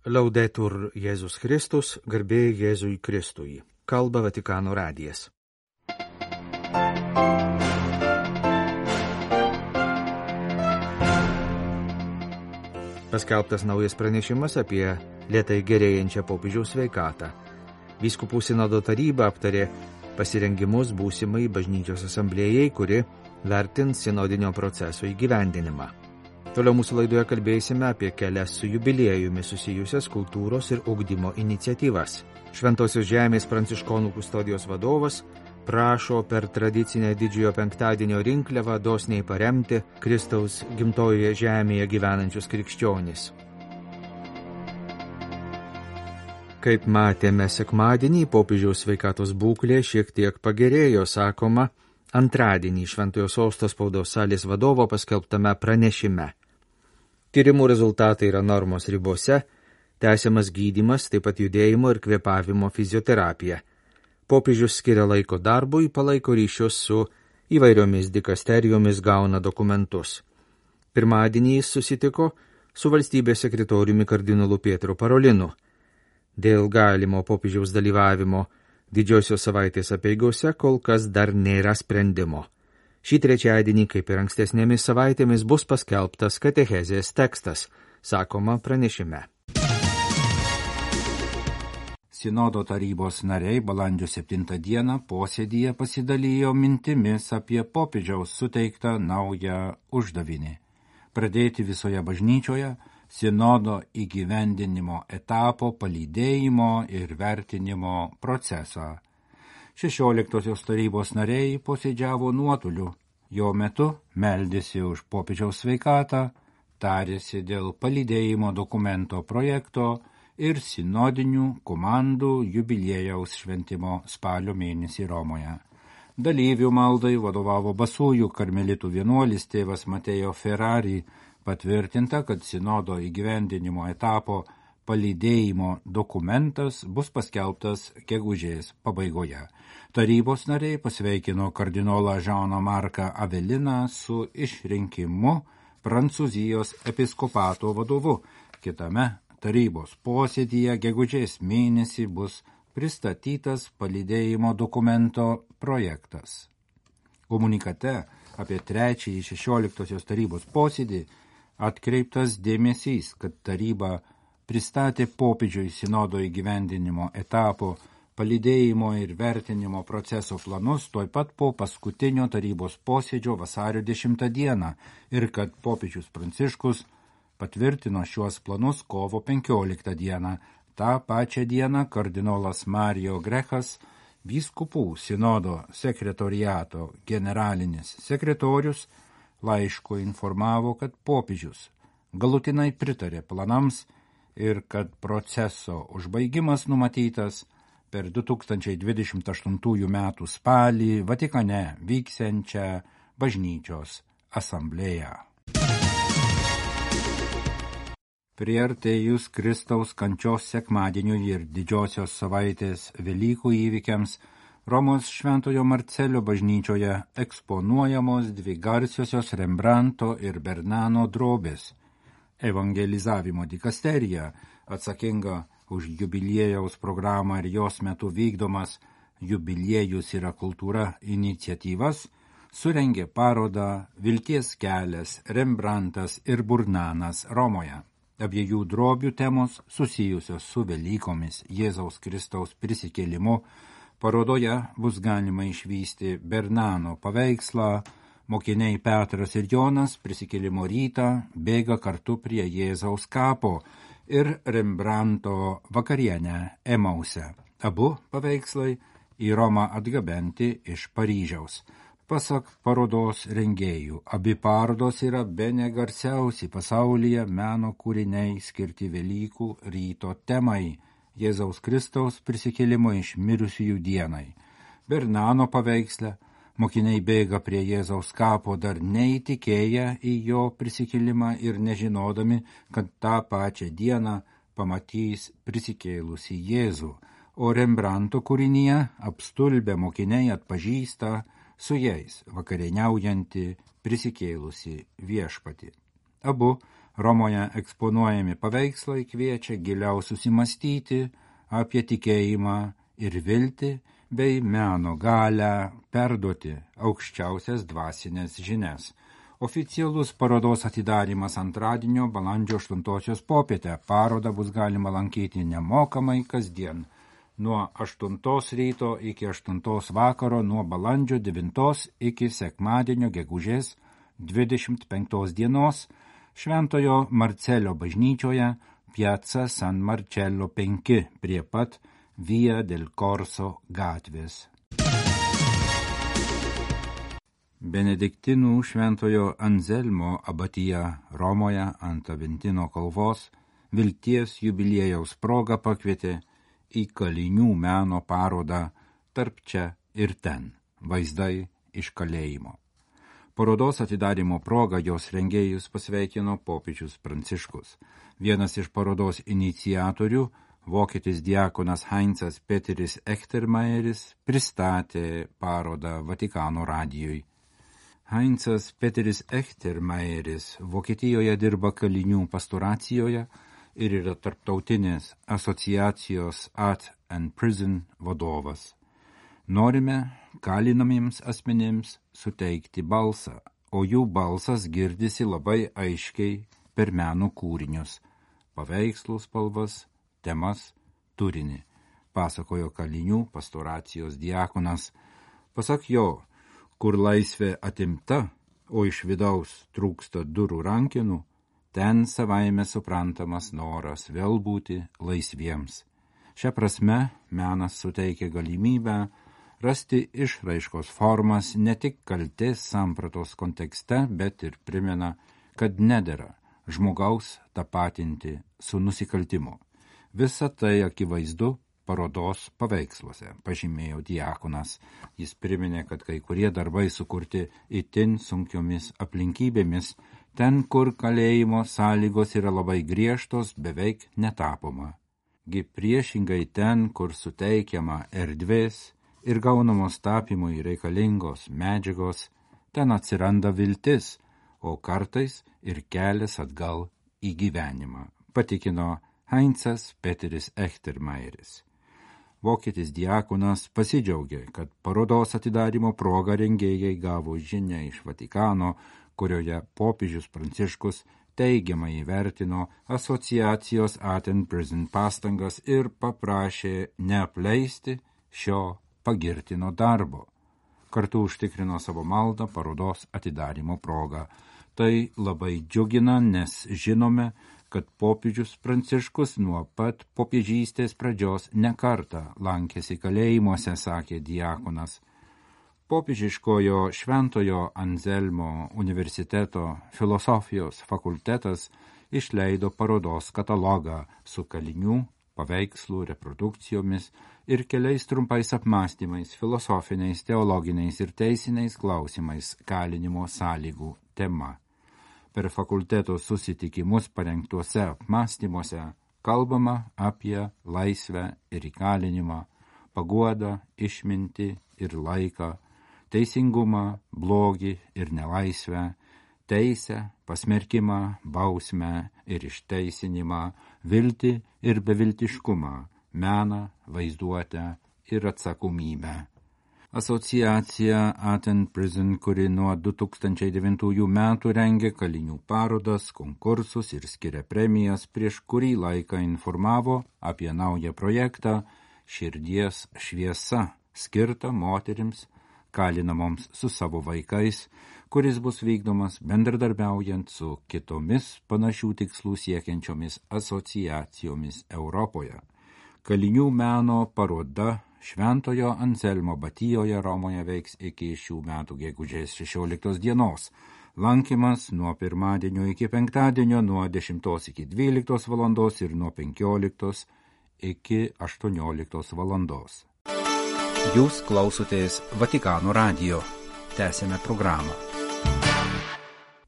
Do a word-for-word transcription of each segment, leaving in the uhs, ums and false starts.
Laudetur Jėzus Kristus, garbė Jėzui Kristui. Kalba Vatikano radijas. Paskelbtas naujas pranešimas apie lėtai gerėjančią popiežiaus sveikatą. Vyskupų sinodo taryba aptarė pasirengimus būsimai bažnyčios asamblėjai, kuri vertins sinodinio proceso įgyvendinimą. Toliau mūsų laidoje kalbėsime apie kelias su jubiliejumi susijusias kultūros ir ugdymo iniciatyvas. Šventosios žemės pranciškonų kustodijos vadovas prašo per tradicinę didžiojo penktadienio rinkliavą dosniai paremti Kristaus gimtojoje žemėje gyvenančius krikščionis. Kaip matėme sekmadienį, popiežiaus sveikatos būklė šiek tiek pagerėjo, sakoma, antradienį Šventojo sosto spaudos salės vadovo paskelbtame pranešime. Tyrimų rezultatai yra normos ribose, tęsiamas gydymas, taip pat judėjimo ir kvėpavimo fizioterapija. Popiežius skiria laiko darbui, palaiko ryšius su įvairiomis dikasterijomis, gauna dokumentus. Pirmadienį jis susitiko su valstybės sekretoriumi kardinolu Pietro Parolinu. Dėl galimo popiežiaus dalyvavimo didžiosios savaitės apeigose kol kas dar nėra sprendimo. Šį trečiadienį, kaip ir ankstesnėmis savaitėmis, bus paskelbtas katechezės tekstas, sakoma pranešime. Sinodo tarybos nariai balandžio septintą dieną posėdyje pasidalijo mintimis apie popiežiaus suteiktą naują uždavinį – pradėti visoje bažnyčioje sinodo įgyvendinimo etapo palydėjimo ir vertinimo procesą. Šešioliktosios tarybos nariai posėdžiavo nuotoliu, jo metu meldėsi už popiežiaus sveikatą, tarėsi dėl palydėjimo dokumento projekto ir sinodinių komandų jubiliejaus šventimo spalio mėnesį Romoje. Dalyvių maldai vadovavo Basųjų karmelitų vienuolis tėvas Mateo Ferrari, patvirtinta, kad sinodo įgyvendinimo etapo palydėjimo dokumentas bus paskelbtas gegužės pabaigoje. Tarybos nariai pasveikino kardinolą Žaną Marką Aveliną su išrinkimu Prancūzijos episkopato vadovu. Kitame tarybos posėdyje gegužės mėnesį bus pristatytas palydėjimo dokumento projektas. Komunikate apie trečiąjį šešioliktosios tarybos posėdį atkreiptas dėmesys, kad taryba pristatė popiežiui sinodo įgyvendinimo etapo palydėjimo ir vertinimo proceso planus tuoj pat po paskutinio tarybos posėdžio vasario dešimtą dieną ir kad popiežius Pranciškus patvirtino šiuos planus kovo penkioliktą dieną. Ta pačią dieną kardinolas Mario Grechas, vyskupų sinodo sekretoriato generalinis sekretorius, laišku informavo, kad popiežius galutinai pritarė planams ir kad proceso užbaigimas numatytas per du tūkstančiai dvidešimt aštuntųjų metų spalį Vatikane vyksiančią bažnyčios asamblėją. Priartėjus Kristaus kančios sekmadieniui ir didžiosios savaitės Velykų įvykiams, Romos Šventojo Marcelio bažnyčioje eksponuojamos dvi garsiosios Rembrandto ir Bernano drobės. Evangelizavimo dikasterija, atsakinga už jubiliejaus programą ir jos metu vykdomas jubiliejus yra kultūra iniciatyvas, surengė parodą Vilties kelias, Rembrandtas ir Burnanas Romoje. Abiejų drobių temos susijusios su Velykomis, Jėzaus Kristaus prisikėlimu. Parodoje bus galima išvysti Bernano paveikslą, mokiniai Petras ir Jonas prisikėlimo rytą bėga kartu prie Jėzaus kapo ir Rembrandto vakarienę Emause. Abu paveikslai į Romą atgabenti iš Paryžiaus. Pasak parodos rengėjų, abi parodos yra bene garsiausi pasaulyje meno kūriniai skirti Velykų ryto temai – Jėzaus Kristaus prisikėlimo iš mirusiųjų dienai. Bernano paveiksle mokiniai bėga prie Jėzaus kapo dar neįtikėję į jo prisikėlimą ir nežinodami, kad tą pačią dieną pamatys prisikėlusį Jėzų, o Rembrandto kūrinyje apstulbę mokiniai atpažįsta su jais vakarieniaujantį prisikėlusį viešpatį. Abu Romoje eksponuojami paveikslai kviečia giliau susimastyti apie tikėjimą ir viltį bei meno galią perduoti aukščiausias dvasinės žinias. Oficialus parodos atidarymas antradienio balandžio aštuntosios popietę. Parodą bus galima lankyti nemokamai kasdien nuo aštuntos ryto iki aštuntos vakaro, nuo balandžio devintos iki sekmadienio gegužės dvidešimt penktos dienos Šventojo Marcelio bažnyčioje Piazza San Marcello penki prie pat Via del Corso gatvės. Benediktinų Šventojo Anzelmo abatija Romoje ant Aventino kalvos vilties jubiliejaus proga pakvietė į kalinių meno parodą Tarp čia ir ten – vaizdai iš kalėjimo. Parodos atidarymo proga jos rengėjus pasveikino popiežius Pranciškus. Vienas iš parodos iniciatorių, vokietis diakonas Heinzas Peteris Echtermaieris, pristatė parodą Vatikano radijui. Heinzas Peteris Echtermaieris Vokietijoje dirba kalinių pastoracijoje ir yra tarptautinės asociacijos At and Prison vadovas. Norime kalinamiems asmenims suteikti balsą, o jų balsas girdisi labai aiškiai per meno kūrinius, paveikslų spalvas, temas, turinį, pasakojo kalinių pastoracijos diakonas. Pasak jo, kur laisvė atimta, o iš vidaus trūksta durų rankenų, ten savaime suprantamas noras vėl būti laisviems. Šia prasme menas suteikia galimybę rasti išraiškos formas ne tik kaltės sampratos kontekste, bet ir primena, kad nedera žmogaus tapatinti su nusikaltimu. Visa tai akivaizdu parodos paveiksluose, pažymėjo diakonas. Jis priminė, kad kai kurie darbai sukurti itin sunkiomis aplinkybėmis, ten, kur kalėjimo sąlygos yra labai griežtos, beveik netapoma. Gi priešingai ten, kur suteikiama erdvės ir gaunamos tapymui reikalingos medžiagos, ten atsiranda viltis, o kartais ir kelias atgal į gyvenimą, patikino Heinzas Peteris Echtermaieris. Vokietis diakonas pasidžiaugė, kad parodos atidarymo proga rengėjai gavo žinią iš Vatikano, kurioje popiežius Pranciškus teigiamai įvertino asociacijos At and Prison pastangas ir paprašė neapleisti šio pagirtino darbo. Kartu užtikrino savo maldą parodos atidarymo progą. Tai labai džiugina, nes žinome, kad popiežius Pranciškus nuo pat popiežystės pradžios nekartą lankėsi kalėjimuose, sakė diakonas. Popiežiškojo Šventojo Anzelmo universiteto filosofijos fakultetas išleido parodos katalogą su kalinių paveikslų reprodukcijomis ir keliais trumpais apmąstymais, filosofiniais, teologiniais ir teisiniais klausimais kalinimo sąlygų tema. Per fakulteto susitikimus parengtuose apmąstymuose kalbama apie laisvę ir įkalinimą, paguodą, išmintį ir laiką, teisingumą, blogį ir nelaisvę, teisę, pasmerkimą, bausmę ir išteisinimą, viltį ir beviltiškumą, meną, vaizduotę ir atsakomybę. Asociacija At and Prison, kuri nuo du tūkstančiai devintųjų metų rengia kalinių parodas, konkursus ir skiria premijas, prieš kurį laiką informavo apie naują projektą Širdies šviesa, skirtą moterims kalinamoms su savo vaikais, kuris bus vykdomas bendradarbiaujant su kitomis panašių tikslų siekiančiomis asociacijomis Europoje. Kalinių meno paroda Šventojo Anzelmo abatijoje Romoje veiks iki šių metų gegužės šešioliktos dienos. Lankymas nuo pirmadienio iki penktadienio, nuo dešimtos iki dvyliktos valandos ir nuo penkioliktos iki aštuonioliktos valandos. Jūs klausotės Vatikano radijo. Tęsėme programą.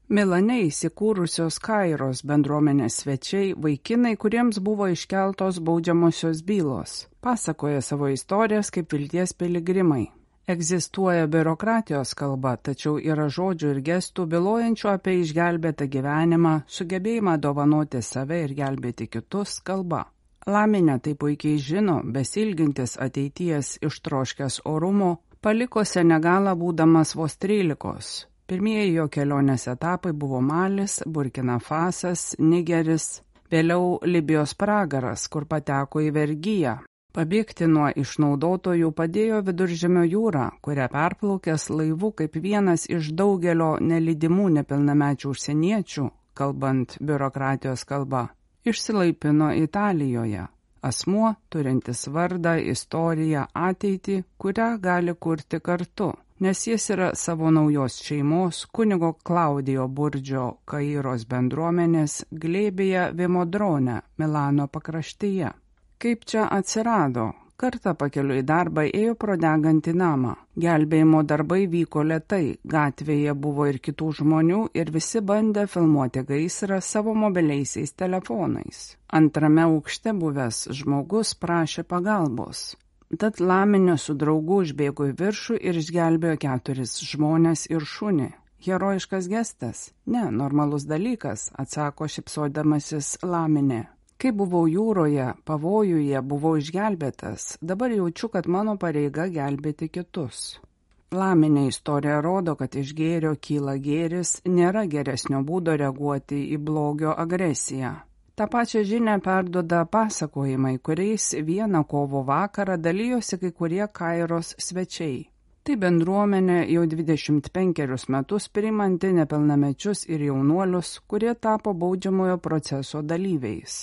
Milane įsikūrusios Kairos bendruomenės svečiai, vaikinai, kuriems buvo iškeltos baudžiamosios bylos, pasakoja savo istorijas kaip vilties piligrimai. Egzistuoja biurokratijos kalba, tačiau yra žodžių ir gestų bylojančių apie išgelbėtą gyvenimą, sugebėjimą dovanoti save ir gelbėti kitus kalba. Laminė tai puikiai žino, besilgintis ateities ištroškęs orumo, paliko Senegalą būdamas vos trylikos. Pirmieji jo kelionės etapai buvo Malis, Burkina Fasas, Nigeris, vėliau Libijos pragaras, kur pateko į vergiją. Pabėgti nuo išnaudotojų padėjo Viduržemio jūra, kurią perplaukęs laivu kaip vienas iš daugelio nelydimų nepilnamečių užsieniečių, kalbant biurokratijos kalba, išsilaipino Italijoje. Asmuo, turintis vardą, istoriją, ateitį, kurią gali kurti kartu, nes jis yra savo naujos šeimos kunigo Klaudijo Burdžio Kairos bendruomenės glėbėje Vimodrone, Milano pakraštyje. Kaip čia atsirado? Kartą pakeliu į darbą ėjo pro degantį namą. Gelbėjimo darbai vyko lėtai, gatvėje buvo ir kitų žmonių ir visi bandė filmuoti gaisrą savo mobiliaisiais telefonais. Antrame aukšte buvęs žmogus prašė pagalbos. Tad Laminė su draugu užbėgo į viršų ir išgelbėjo keturis žmones ir šunį. Herojiškas gestas? Ne, normalus dalykas, atsako šypsodamasis Laminė. Kai buvau jūroje, pavojuje buvau išgelbėtas, dabar jaučiu, kad mano pareiga gelbėti kitus. Laminė istorija rodo, kad iš gėrio kyla gėris, nėra geresnio būdo reaguoti į blogio agresiją. Ta pačia žinia perduoda pasakojimai, kuriais vieną kovo vakarą dalyjosi kai kurie Kairos svečiai. Tai bendruomenė jau dvidešimt penkerius metus priimanti nepilnamečius ir jaunuolius, kurie tapo baudžiamojo proceso dalyviais.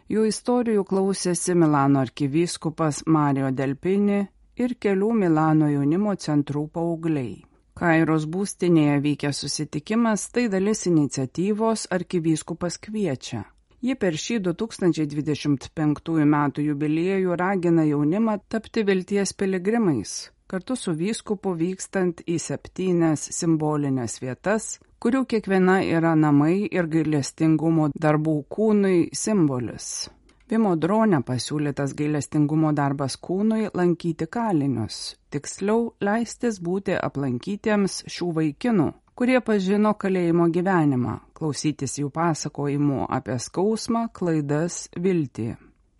Jų istorijų klausėsi Milano arkivyskupas Mario Delpini ir kelių Milano jaunimo centrų paaugliai. Kairos būstinėje vykęs susitikimas tai dalis iniciatyvos Arkivyskupas kviečia. Ji per šį du tūkstančiai dvidešimt penktųjų metų jubiliejų ragina jaunimą tapti vilties piligrimais, kartu su vyskupu vykstant į septynias simbolinės vietas, kurių kiekviena yra namai ir gailestingumo darbų kūnui simbolis. Vimodrone pasiūlytas gailestingumo darbas kūnui lankyti kalinius, tiksliau leistis būti aplankytiems šių vaikinų, kurie pažino kalėjimo gyvenimą, klausytis jų pasakojimų apie skausmą, klaidas, viltį.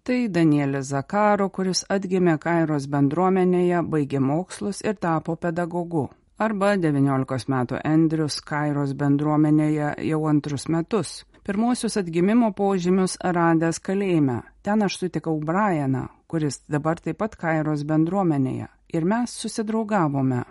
Tai Danielis Zakaro, kuris atgimė Kairos bendruomenėje, baigė mokslus ir tapo pedagogu. Arba devyniolikos metų Andrius Kairos bendruomenėje jau antrus metus. Pirmosius atgimimo požymius radęs kalėjime. Ten aš sutikau Brianą, kuris dabar taip pat Kairos bendruomenėje. Ir mes susidraugavome.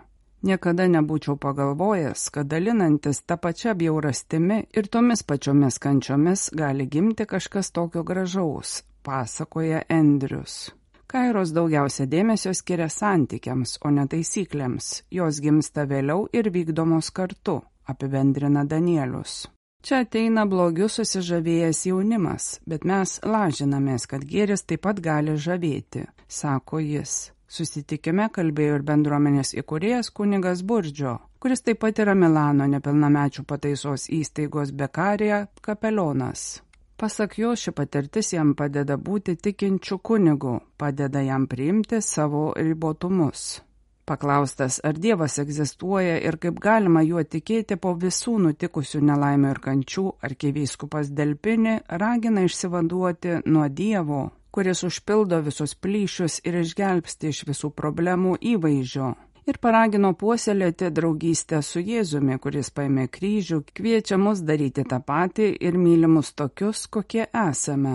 Niekada nebūčiau pagalvojęs, kad dalinantis tą pačią bjaurastimi ir tomis pačiomis kančiomis gali gimti kažkas tokio gražaus, pasakoja Andrius. Kairos daugiausia dėmesio skiria santykiams, o ne taisyklėms. Jos gimsta vėliau ir vykdomos kartu, apibendrina Danielius. Čia ateina blogiu susižavėjęs jaunimas, bet mes lažinamės, kad gėris taip pat gali žavėti, sako jis. Susitikime kalbėjo ir bendruomenės įkūrėjas kunigas Burdžio, kuris taip pat yra Milano nepilnamečių pataisos įstaigos Bekarija kapelionas. Pasak jo, ši patirtis jam padeda būti tikinčiu kunigu, padeda jam priimti savo ribotumus. Paklaustas, ar Dievas egzistuoja ir kaip galima juo tikėti po visų nutikusių nelaimių ir kančių, arkivyskupas Delpini ragina išsivaduoti nuo Dievo, kuris užpildo visus plyšius ir išgelbsti iš visų problemų įvaizdžio. Ir paragino puoselėti draugystę su Jėzumi, kuris paėmė kryžių, kviečia mus daryti tą patį ir mylimus tokius, kokie esame.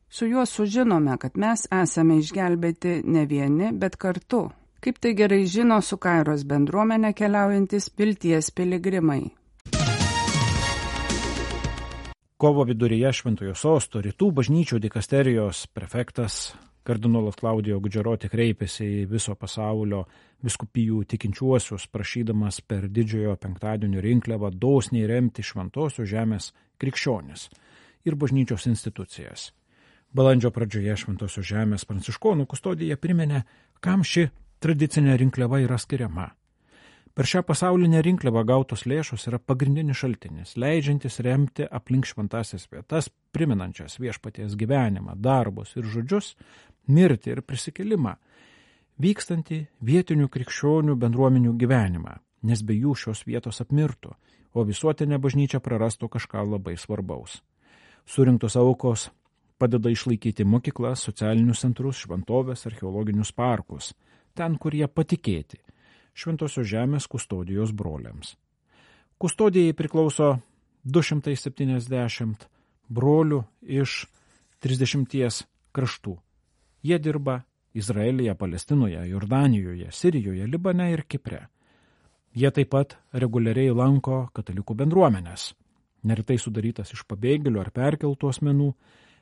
Su juo sužinome, kad mes esame išgelbėti ne vieni, bet kartu. Kaip tai gerai žino su Kairos bendruomenė keliaujantis vilties piligrimai. Kovo viduryje Šventojo Sosto rytų bažnyčių dikasterijos prefektas kardinolas Klaudijo Gudžeroti kreipėsi į viso pasaulio vyskupijų tikinčiuosius, prašydamas per didžiojo penktadienio rinkliavą dosniai remti šventosios žemės krikščionis ir bažnyčios institucijas. Balandžio pradžioje Šventosios žemės pranciškonų kustodija priminė, kam ši tradicinė rinkliava yra skiriama. Per šią pasaulinę rinkliavą gautos lėšos yra pagrindinis šaltinis, leidžiantis remti aplink šventasias vietas, priminančias viešpaties gyvenimą, darbus ir žodžius, mirtį ir prisikėlimą. vykstantį vietinių krikščionių bendruomenių gyvenimą, nes be jų šios vietos apmirtų, o visuotinė bažnyčia prarastų kažką labai svarbaus. Surinktos aukos padeda išlaikyti mokyklas, socialinius centrus, šventovės, archeologinius parkus, ten, kur jie patikėti, Šventosios žemės kustodijos broliams. Kustodijai priklauso du šimtai septyniasdešimt brolių iš trisdešimties kraštų. Jie dirba Izraelyje, Palestinoje, Jordanijoje, Sirijoje, Libane ir Kipre. Jie taip pat reguliariai lanko katalikų bendruomenės, neretai sudarytas iš pabėgėlių ar perkeltų asmenų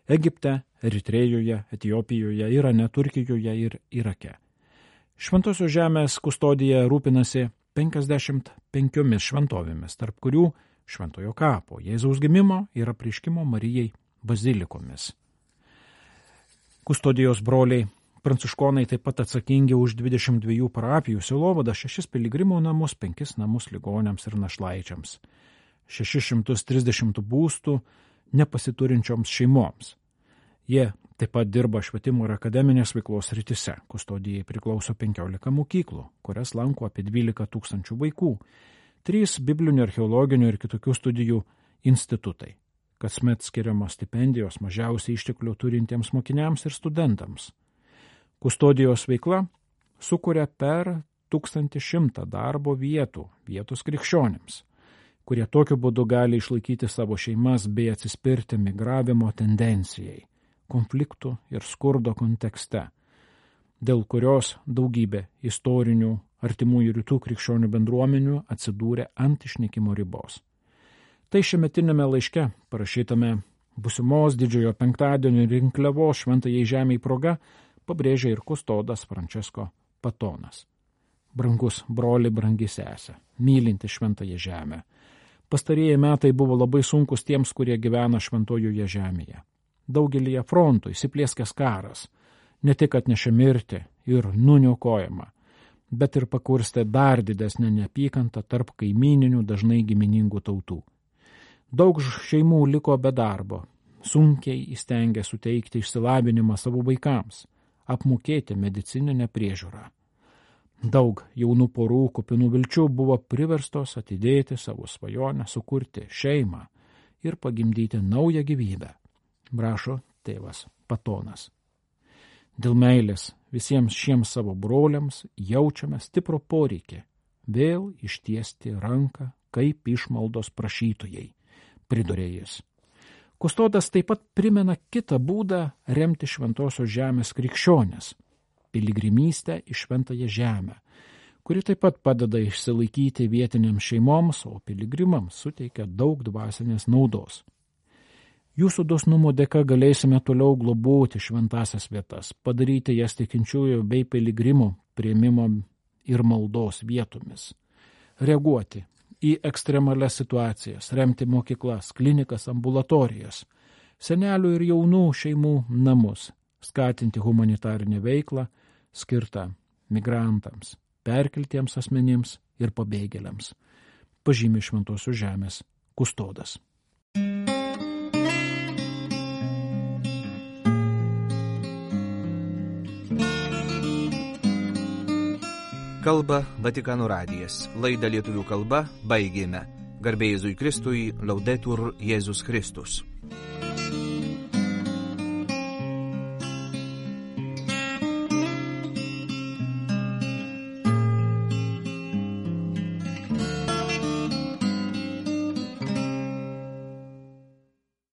Egipte, Eritrėjoje, Etiopijoje, Irane, Turkijoje ir Irake. Šventosios žemės kustodija rūpinasi penkiasdešimt penkiomis šventovėmis, tarp kurių Šventojo kapo, Jėzaus gimimo ir apreiškimo Marijai bazilikomis. Kustodijos broliai pranciškonai taip pat atsakingi už dvidešimt dviejų parapijų sielovadą, šešis piligrimų namus, penkis namus ligoniams ir našlaičiams, šešis šimtus trisdešimt būstų nepasiturinčioms šeimoms. Jie taip pat dirba švietimo ir akademinės veiklos srityse. Kustodijai priklauso penkiolika mokyklų, kurias lanko apie dvylika tūkstančių vaikų, trys biblinių, archeologinių ir kitokių studijų institutai. Kasmet skiriamos stipendijos mažiausiai išteklių turintiems mokiniams ir studentams. Kustodijos veikla sukuria per tūkstantį šimtą darbo vietų vietos krikščionims, kurie tokiu būdu gali išlaikyti savo šeimas bei atsispirti migravimo tendencijai, konfliktų ir skurdo kontekste, dėl kurios daugybė istorinių artimųjų rytų krikščionių bendruomenių atsidūrė ant išnykimo ribos. Tai šiametinėme laiške, parašytame būsimos didžiojo penktadienio rinkliavos šventajai žemei proga, pabrėžia ir kustodas Francesco Patonas. Brangus broli, brangi sesė, mylinti šventąją žemę. Pastarieji metai buvo labai sunkus tiems, kurie gyvena šventojoje žemėje. Daugelyje frontų įsiplieskęs karas ne tik atnešė mirtį ir nuniokojimą, bet ir pakurstė dar didesnę neapykantą tarp kaimyninių dažnai giminingų tautų. Daug šeimų liko be darbo, sunkiai įstengė suteikti išsilavinimą savo vaikams, apmokėti medicininę priežiūrą. Daug jaunų porų kupinų vilčių buvo priverstos atidėti savo svajonę sukurti šeimą ir pagimdyti naują gyvybę, rašo tėvas Patonas. Dėl meilės visiems šiems savo broliams jaučiame stiprų poreikį vėl ištiesti ranką kaip išmaldos prašytojai, pridurė jis. Kustodas taip pat primena kitą būdą remti šventosios žemės krikščionis – piligrimystę į šventąją žemę, kuri taip pat padeda išsilaikyti vietiniams šeimoms, o piligrimams suteikia daug dvasinės naudos. Jūsų dosnumo dėka galėsime toliau globoti šventasias vietas, padaryti jas tikinčiųjų bei piligrimų priėmimo ir maldos vietomis, reaguoti į ekstremalias situacijas, remti mokyklas, klinikas, ambulatorijas, senelių ir jaunų šeimų namus, skatinti humanitarinę veiklą skirtą migrantams, perkeltiems asmenims ir pabėgėliams, pažymi Šventosios žemės kustodas. Kalba Vatikano radijas. Laidą lietuvių kalba baigėme. Garbė Jėzui Kristui, Laudetur Jėzus Kristus.